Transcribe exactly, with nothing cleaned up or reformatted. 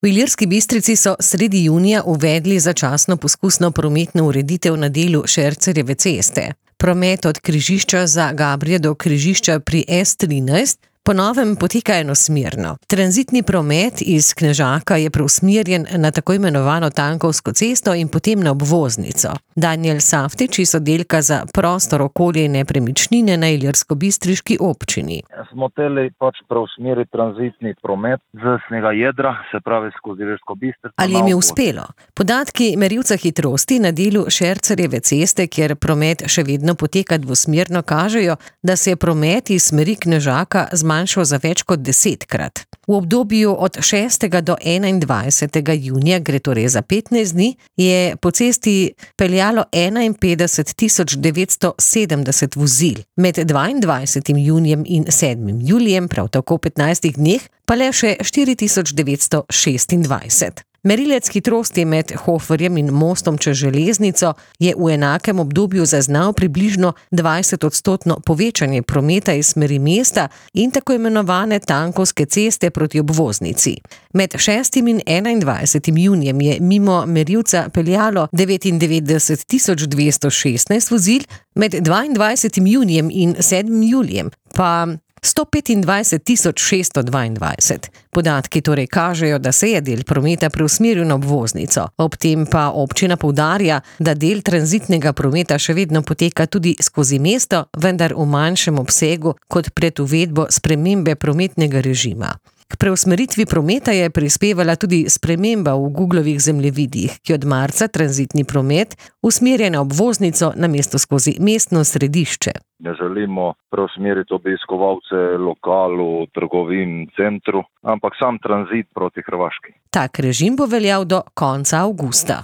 V Ilirski Bistrici so sredi junija uvedli začasno poskusno prometno ureditev na delu Šercerjeve ceste. Promet od križišča za Gabrje do križišča pri S trinajst po novem poteka enosmerno. Tranzitni promet iz Knežaka je preusmerjen na tako imenovano Tankovsko cesto in potem na obvoznico. Danijel Saftič iz oddelka za prostor, okolje in nepremičnine na ilirskobistriški občini. Smo hoteli pač preusmeriti tranzitni promet z snega jedra, se pravi skozi Ilirsko Bistrico. Ali jim je uspelo? Podatki merilca hitrosti na delu Šercerjeve ceste, kjer promet še vedno poteka dvosmerno, kažejo, da se je promet iz smeri Knežaka zmanjšal za več kot desetkrat. V obdobju od šestega do enaindvajsetega junija, gre torej za petnajst dni, je po cesti peljalo enainpetdeset tisoč devetsto sedemdeset vozil. Med dvaindvajsetim junijem in sedmim julijem, prav tako v petnajstih dneh, pa le še štiri tisoč devetsto šestindvajset. Merilec hitrosti med Hoferjem in mostom čez železnico je v enakem obdobju zaznal približno dvajsetodstotno povečanje prometa iz smeri mesta in tako imenovane Tankovske ceste proti obvoznici. Med šestim in enaindvajsetim junijem je mimo merilca peljalo devetindevetdeset tisoč dvesto šestnajst vozil, med dvaindvajsetim junijem in sedmim julijem pa sto petindvajset tisoč šeststo dvaindvajset. Podatki torej kažejo, da se je del prometa preusmeril na obvoznico. Ob tem pa občina poudarja, da del tranzitnega prometa še vedno poteka tudi skozi mesto, vendar v manjšem obsegu kot pred uvedbo spremembe prometnega režima. K preusmeritvi prometa je prispevala tudi sprememba v Googlovih zemljevidih, ki od marca tranzitni promet usmerja na obvoznico namesto skozi mestno središče. Ne želimo preusmeriti obiskovalce lokalu, trgovin, centru, ampak sam tranzit proti Hrvaški. Tak režim bo veljal do konca avgusta.